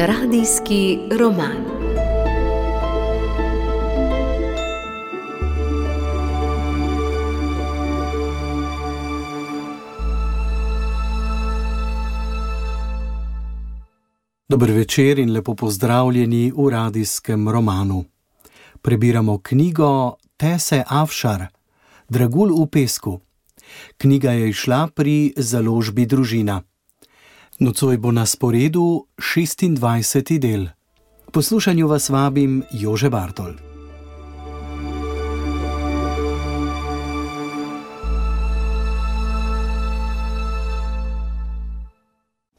Radijski roman. Dober večer in lepo pozdravljeni v radijskem romanu. Prebiramo knjigo Tese Afšar, Dragulj v pesku. Knjiga je izšla pri založbi Družina. Nocoj bo na sporedu 26. del. K poslušanju vas vabim Jože Bartol.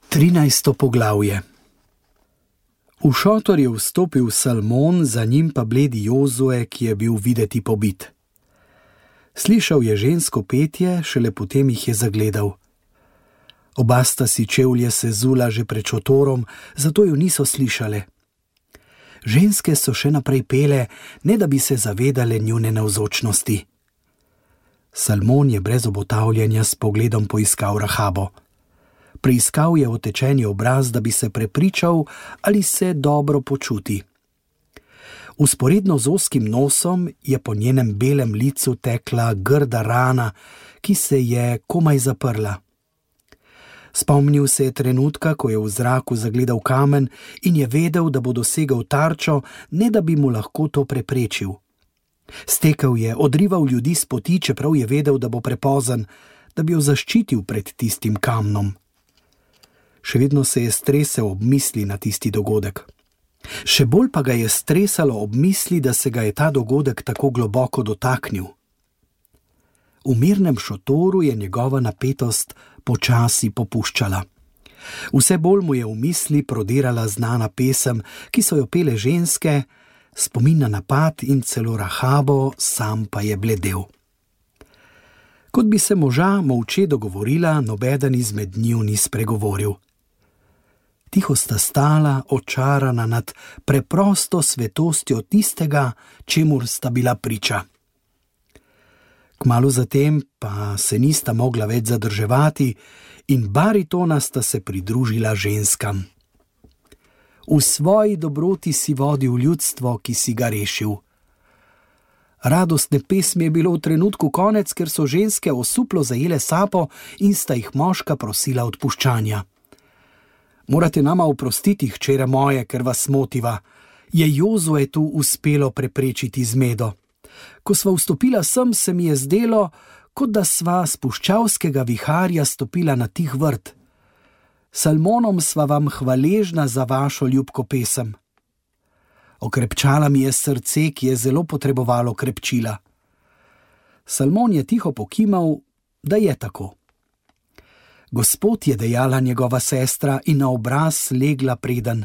Trinajsto poglavje. V šotor je vstopil Salmon, za njim pa bledi Jozue, ki je bil videti pobit. Slišal je žensko petje, šele potem jih je zagledal. Oba sta si čevlje sezula že pred šotorom, zato ju niso slišale. Ženske so še naprej pele, ne da bi se zavedale njune navzočnosti. Salmon je brez obotavljanja s pogledom poiskal Rahabo. Preiskal je otečeni obraz, da bi se prepričal, ali se dobro počuti. Vzporedno z ozkim nosom je po njenem belem licu tekla grda rana, ki se je komaj zaprla. Spomnil se je trenutka, ko je v zraku zagledal kamen in je vedel, da bo dosegel tarčo, ne da bi mu lahko to preprečil. Stekel je, odrival ljudi s poti, čeprav je vedel, da bo prepozen, da bi jo zaščitil pred tistim kamnom. Še vedno se je stresel ob misli na tisti dogodek. Še bolj pa ga je stresalo ob misli, da se ga je ta dogodek tako globoko dotaknil. V mirnem šotoru je njegova napetost počasi popuščala. Vse bolj mu je v misli prodirala znana pesem, ki so jo pele ženske, spomin na napad in celo Rahabo, sam pa je bledel. Kot bi se moža molče dogovorila, nobeden izmed njiju ni spregovoril. Tiho sta stala, očarana nad preprosto svetostjo tistega, čemur sta bila priča. Kmalu zatem pa se nista mogla več zadrževati in baritona sta se pridružila ženskam. V svoji dobroti si vodil ljudstvo, ki si ga rešil. Radostne pesmi je bilo v trenutku konec, ker so ženske osuplo zajele sapo in sta jih moška prosila odpuščanja. Morate nama oprostiti, hčere moje, ker vas motiva, je Jozue tu uspelo preprečiti zmedo. Ko sva vstopila sem, se mi je zdelo, kot da sva s puščavskega viharja stopila na tih vrt. Salmonom sva vam hvaležna za vašo ljubko pesem. Okrepčala mi je srce, ki je zelo potrebovalo krepčila. Salmon je tiho pokimal, da je tako. Gospod je dejala njegova sestra in na obraz legla preden.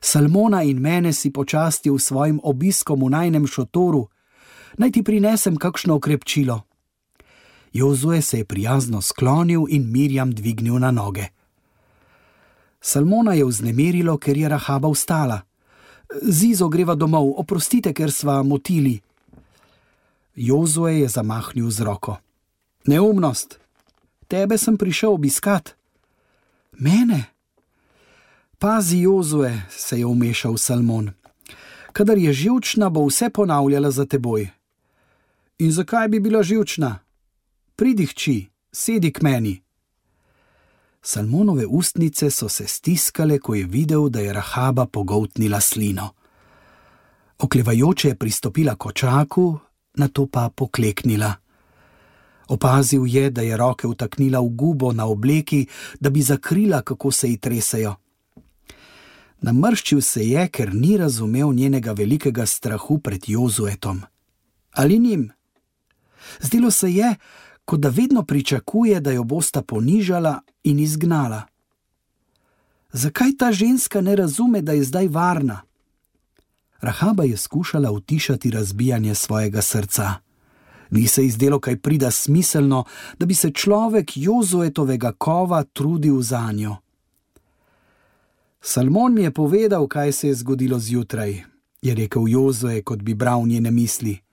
Salmona in mene si počastil svojim obiskom v najnem šotoru, naj ti prinesem kakšno okrepčilo. Jozue se je prijazno sklonil in Mirjam dvignil na noge. Salmona je vznemirilo, ker je Rahaba vstala. Zizo, greva domov, oprostite, ker sva motili. Jozue je zamahnil z roko. Neumnost! Tebe sem prišel obiskat. Mene? Pazi, Jozue, se je vmešal Salmon. Kadar je živčna, bo vse ponavljala za teboj. In zakaj bi bila živčna? Pridi, hči, sedi k meni. Salmonove ustnice so se stiskale, ko je videl, da je Rahaba pogoltnila slino. Oklevajoče je pristopila k očaku, nato pa pokleknila. Opazil je, da je roke vtaknila v gubo na obleki, da bi zakrila, kako se ji tresejo. Namrščil se je, ker ni razumel njenega velikega strahu pred Jozuetom. Ali njim? Zdelo se je, kot da vedno pričakuje, da jo bosta ponižala in izgnala. Zakaj ta ženska ne razume, da je zdaj varna? Rahaba je skušala utišati razbijanje svojega srca. Ni se izdelo kaj prida smiselno, da bi se človek Jozuetovega kova trudil zanjo. Salmon mi je povedal, kaj se je zgodilo zjutraj, je rekel Jozue, kot bi bral njene misli.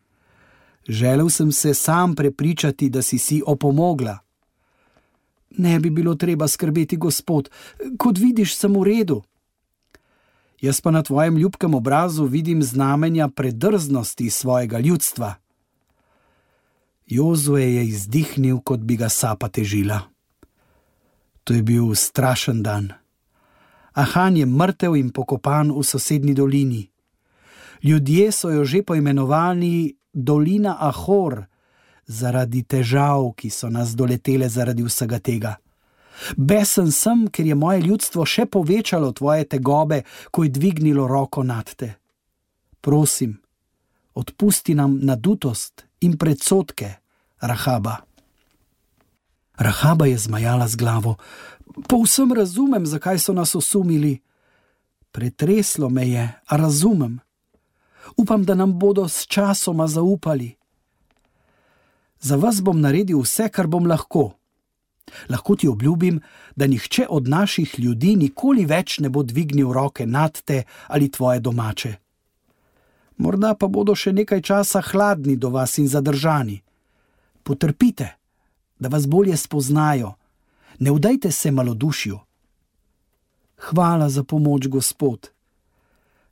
Želel sem se sam prepričati, da si opomogla. Ne bi bilo treba skrbeti, gospod, kot vidiš, sem v redu. Jaz pa na tvojem ljubkem obrazu vidim znamenja predrznosti svojega ljudstva. Jozue je izdihnil, kot bi ga sapa težila. To je bil strašen dan. Ahan je mrtev in pokopan v sosednji dolini. Ljudje so jo že poimenovali Dolina Ahor, zaradi težav, ki so nas doletele zaradi vsega tega. Besen sem, ker je moje ljudstvo še povečalo tvoje tegobe, ko je dvignilo roko nad te. Prosim, odpusti nam nadutost in predsodke, Rahaba. Rahaba je zmajala z glavo. Povsem razumem, zakaj so nas osumili. Pretreslo me je, a razumem. Upam, da nam bodo s časoma zaupali. Za vas bom naredil vse, kar bom lahko. Lahko ti obljubim, da nihče od naših ljudi nikoli več ne bo dvignil roke nad te ali tvoje domače. Morda pa bodo še nekaj časa hladni do vas in zadržani. Potrpite, da vas bolje spoznajo. Ne vdajte se malodušju. Hvala za pomoč, Gospod.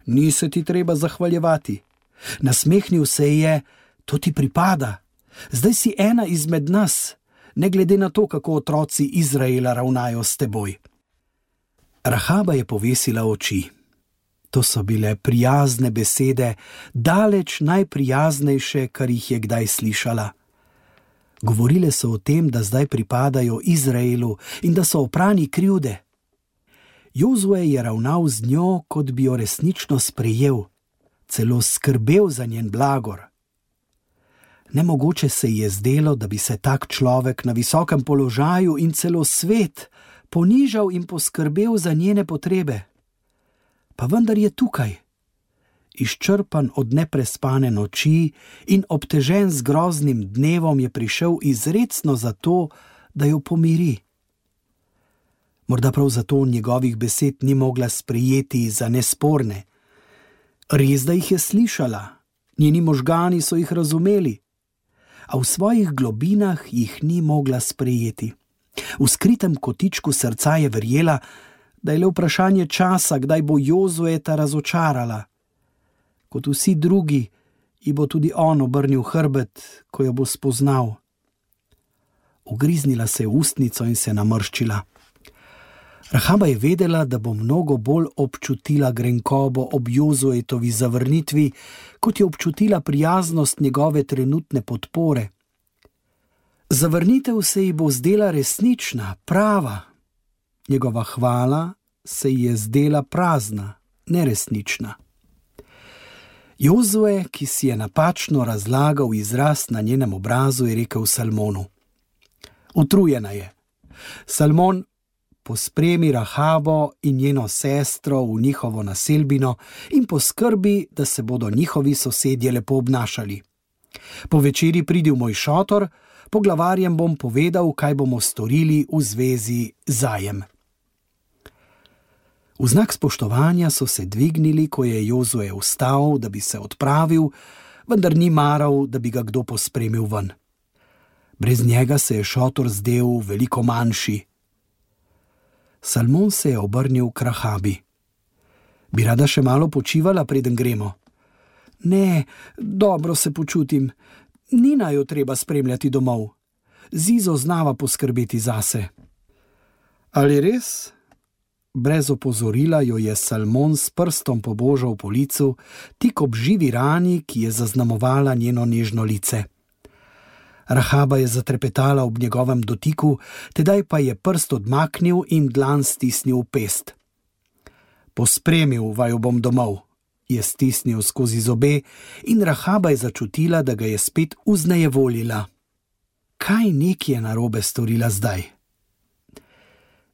Ni se ti treba zahvaljevati. Nasmehnil se je, to ti pripada. Zdaj si ena izmed nas, ne glede na to, kako otroci Izraela ravnajo s teboj. Rahaba je povesila oči. To so bile prijazne besede, daleč najprijaznejše, kar jih je kdaj slišala. Govorile so o tem, da zdaj pripadajo Izraelu in da so oprani krivde. Jozue je ravnal z njo, kot bi jo resnično sprejel, celo skrbel za njen blagor. Nemogoče se ji je zdelo, da bi se tak človek na visokem položaju in celo svet ponižal in poskrbel za njene potrebe. Pa vendar je tukaj, izčrpan od neprespane noči in obtežen z groznim dnevom, je prišel izrecno zato, da jo pomiri. Morda prav zato njegovih besed ni mogla sprejeti za nesporne. Res, da jih je slišala, njeni možgani so jih razumeli, a v svojih globinah jih ni mogla sprejeti. V skritem kotičku srca je verjela, da je le vprašanje časa, kdaj bo Jozueta razočarala. Kot vsi drugi, ji bo tudi on obrnil hrbet, ko jo bo spoznal. Ugriznila se je v ustnico in se namrščila. Rahaba je vedela, da bo mnogo bolj občutila grenkobo ob Jozuetovi zavrnitvi, kot je občutila prijaznost njegove trenutne podpore. Zavrnitev se ji bo zdela resnična, prava. Njegova hvala se ji je zdela prazna, neresnična. Jozue, ki si je napačno razlagal izraz na njenem obrazu, je rekel Salmonu: Utrujena je. Salmon, pospremi Rahabo in njeno sestro v njihovo naselbino in poskrbi, da se bodo njihovi sosedje lepo obnašali. Po večeri pridi v moj šotor, poglavarjem bom povedal, kaj bomo storili v zvezi zajem. V znak spoštovanja so se dvignili, ko je Jozue vstal, da bi se odpravil, vendar ni maral, da bi ga kdo pospremil ven. Brez njega se je šotor zdel veliko manjši. Salmon se je obrnil k Rahabi. Bi rada še malo počivala, preden gremo? Ne, dobro se počutim. Ni naju treba spremljati domov. Zizo znava poskrbeti zase. Ali res? Brez opozorila jo je Salmon s prstom pobožal po licu, tik ob živi rani, ki je zaznamovala njeno nežno lice. Rahaba je zatrepetala ob njegovem dotiku, tedaj pa je prst odmaknil in dlan stisnil v pest. Pospremil vaju bom domov, je stisnil skozi zobe in Rahaba je začutila, da ga je spet vznejevoljila. Kaj neki je narobe storila zdaj?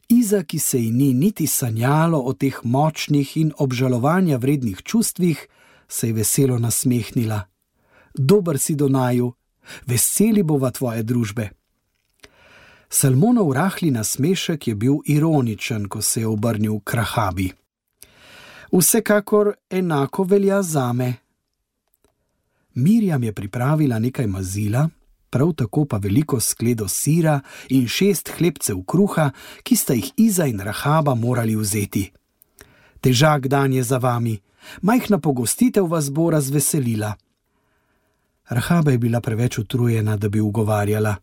Iza, ki se ji ni niti sanjalo o teh močnih in obžalovanja vrednih čustvih, se je veselo nasmehnila. Dober si do naju, veseli bova tvoje družbe. Salmonov rahli nasmešek je bil ironičen, ko se je obrnil k Rahabi. Vsekakor enako velja zame. Mirjam je pripravila nekaj mazila, prav tako pa veliko skledo sira in 6 hlebcev kruha, ki sta jih Iza in Rahaba morali vzeti. Težak dan je za vami, majhna pogostitev vas bo razveselila. Rahaba je bila preveč utrujena, da bi ugovarjala.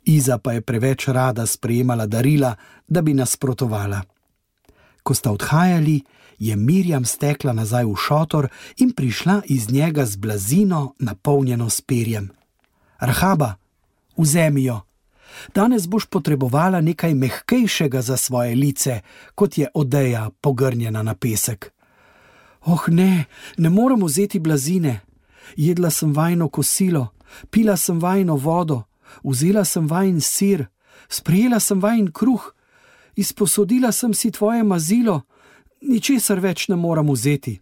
Iza pa je preveč rada sprejemala darila, da bi nasprotovala. Ko sta odhajali, je Mirjam stekla nazaj v šotor in prišla iz njega z blazino, napolnjeno s perjem. Rahaba, vzemi jo. Danes boš potrebovala nekaj mehkejšega za svoje lice, kot je odeja pogrnjena na pesek. Oh ne, ne moram vzeti blazine. Jedla sem vajino kosilo, pila sem vajino vodo, vzela sem vajin sir, sprejela sem vajin kruh, izposodila sem si tvoje mazilo, ničesar več ne moram vzeti.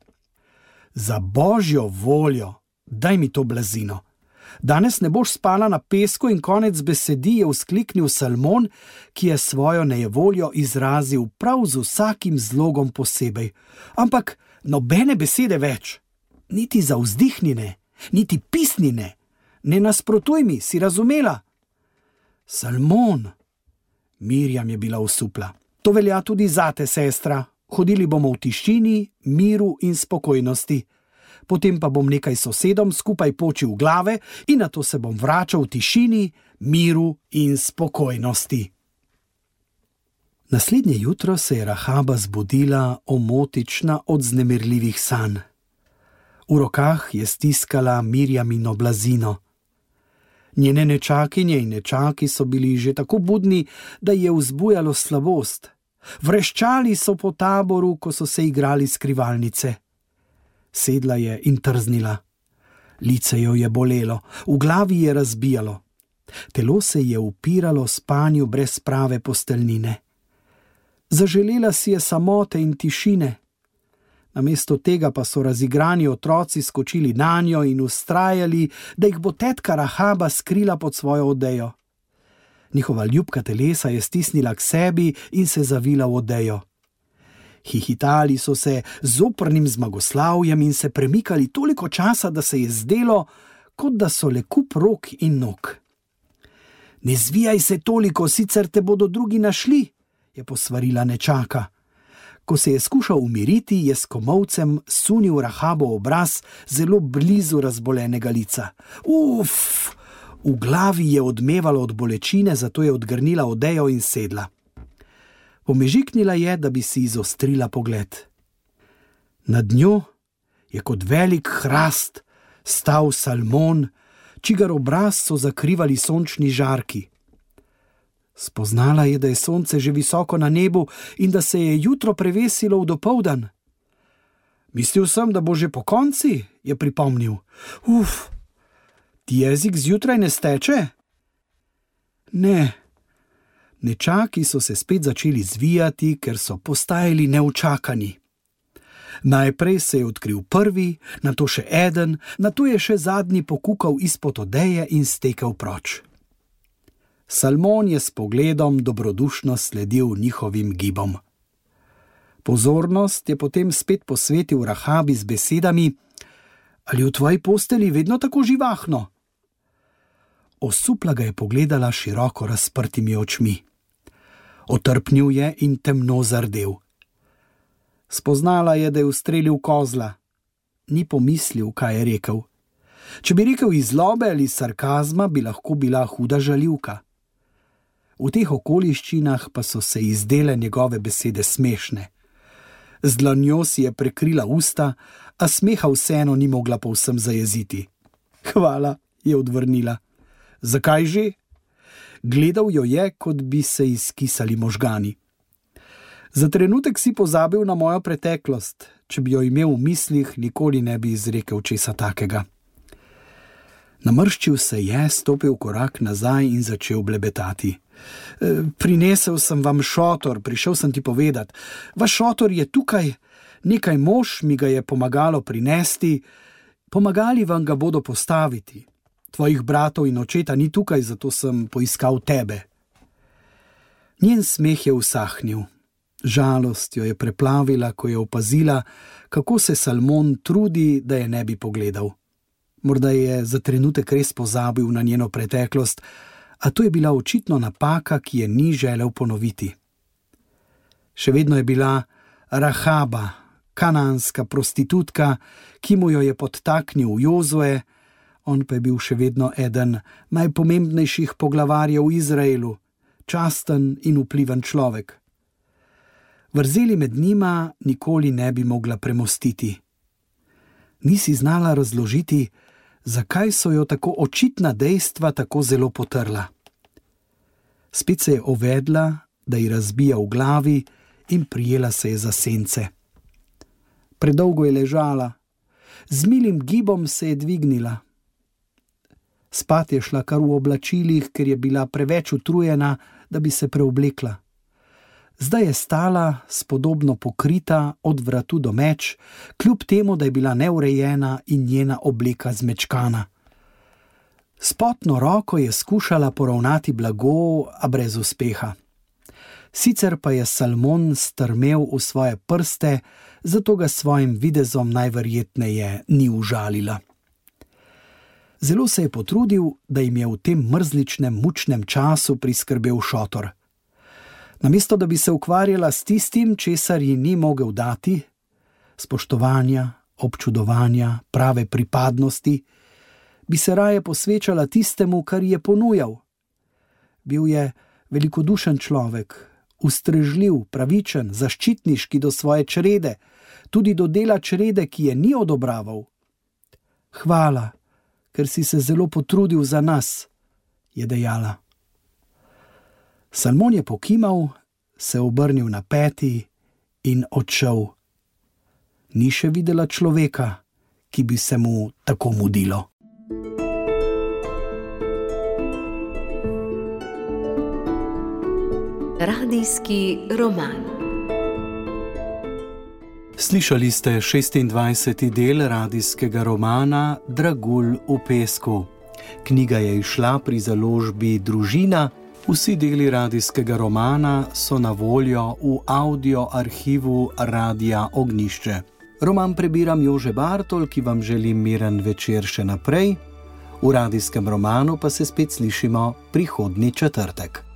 Za božjo voljo, daj mi to blazino. Danes ne boš spala na pesku in konec besedi, je vzkliknil Salmon, ki je svojo nejevoljo izrazil prav z vsakim zlogom posebej. Ampak nobene besede več, niti za vzdihnine, niti pisnine. Ne nasprotuj mi, si razumela? Salmon, Mirjam je bila osupla. To velja tudi zate, sestra. Hodili bomo v tišini, miru in spokojnosti. Potem pa bom nekaj sosedom skupaj počil glave in nato se bom vračal v tišini, miru in spokojnosti. Naslednje jutro se je Rahaba zbudila omotična od vznemirljivih sanj. V rokah je stiskala Mirjamino blazino. Njene nečakinje in nečaki so bili že tako budni, da je vzbujalo slabost. Vreščali so po taboru, ko so se igrali skrivalnice. Sedla je in trznila. Lice jo je bolelo, v glavi je razbijalo. Telo se je upiralo spanju brez prave posteljnine. Zaželela si je samote in tišine. Namesto tega pa so razigrani otroci skočili nanjo in vztrajali, da jih bo tetka Rahaba skrila pod svojo odejo. Njihova ljubka telesa je stisnila k sebi in se zavila v odejo. Hihitali so se z oprnim zmagoslavjem in se premikali toliko časa, da se je zdelo, kot da so le kup rok in nog. Ne zvijaj se toliko, sicer te bodo drugi našli, je posvarila nečaka. Ko se je skušal umiriti, je s komolcem sunil Rahabo obraz zelo blizu razbolenega lica. Uf! V glavi je odmevalo od bolečine, zato je odgrnila odejo in sedla. Pomežiknila je, da bi si izostrila pogled. Nad njo je kot velik hrast stal Salmon, čigar obraz so zakrivali sončni žarki. Spoznala je, da je sonce že visoko na nebu in da se je jutro prevesilo v dopoldan. Mislil sem, da bo že po konci, je pripomnil. Uf, ti jezik zjutraj ne steče? Ne. Nečaki so se spet začeli zvijati, ker so postajali neučakani. Najprej se je odkril prvi, nato še eden, nato je še zadnji pokukal izpod odeje in stekel proč. Salmon je s pogledom dobrodušno sledil njihovim gibom. Pozornost je potem spet posvetil Rahabi z besedami: Ali v tvoji posteli vedno tako živahno? Osupla ga je pogledala široko razprtimi očmi. Otrpnil je in temno zardel. Spoznala je, da je ustrelil kozla. Ni pomislil, kaj je rekel. Če bi rekel iz zlobe ali sarkazma, bi lahko bila huda žaljivka. V teh okoliščinah pa so se izdele njegove besede smešne. Z dlanjo si je prekrila usta, a smeha vseeno ni mogla povsem zajeziti. Hvala, je odvrnila. Zakaj že? Gledal jo je, kot bi se izkisali možgani. Za trenutek si pozabil na mojo preteklost. Če bi jo imel v mislih, nikoli ne bi izrekel česa takega. Namrščil se je, stopil korak nazaj in začel blebetati. Prinesel sem vam šotor, prišel sem ti povedati. Vaš šotor je tukaj, nekaj mož mi ga je pomagalo prinesti, pomagali vam ga bodo postaviti. Tvojih bratov in očeta ni tukaj, zato sem poiskal tebe. Njen smeh je usahnil. Žalost jo je preplavila, ko je opazila, kako se Salmon trudi, da je ne bi pogledal. Morda je za trenutek res pozabil na njeno preteklost, a to je bila očitno napaka, ki je ni želel ponoviti. Še vedno je bila Rahaba, kanaanska prostitutka, ki mu jo je podtaknil Jozue, on pa je bil še vedno eden najpomembnejših poglavarjev v Izraelu, časten in vpliven človek. Vrzeli med njima nikoli ne bi mogla premostiti. Nisi znala razložiti, zakaj so jo tako očitna dejstva tako zelo potrla. Spet se je ovedla, da ji razbija v glavi, in prijela se je za sence. Predolgo je ležala, z milim gibom se je dvignila. Spat je šla kar v oblačilih, ker je bila preveč utrujena, da bi se preoblekla. Zdaj je stala, spodobno pokrita od vratu do meč, kljub temu, da je bila neurejena in njena obleka zmečkana. S potno roko je skušala poravnati blago, a brez uspeha. Sicer pa je Salmon strmel v svoje prste, zato ga svojim videzom najverjetneje ni užalila. Zelo se je potrudil, da jim je v tem mrzličnem, mučnem času priskrbel šotor. Namesto da bi se ukvarjala s tistim, česar ji ni mogel dati, spoštovanja, občudovanja, prave pripadnosti, bi se raje posvečala tistemu, kar ji je ponujal. Bil je velikodušen človek, ustrežljiv, pravičen, zaščitniški do svoje črede, tudi do dela črede, ki je ni odobraval. Hvala, ker si se zelo potrudil za nas, je dejala. Salmon je pokimal, se obrnil na peti in odšel. Ni še videla človeka, ki bi se mu tako mudilo. Radijski roman. Slišali ste 26. del radijskega romana Dragulj v pesku. Knjiga je izšla pri založbi Družina. Vsi deli radijskega romana so na voljo v audio arhivu Radia Ognjišče. Roman prebiram Jože Bartol, ki vam želim miren večer še naprej. V radijskem romanu pa se spet slišimo prihodnji četrtek.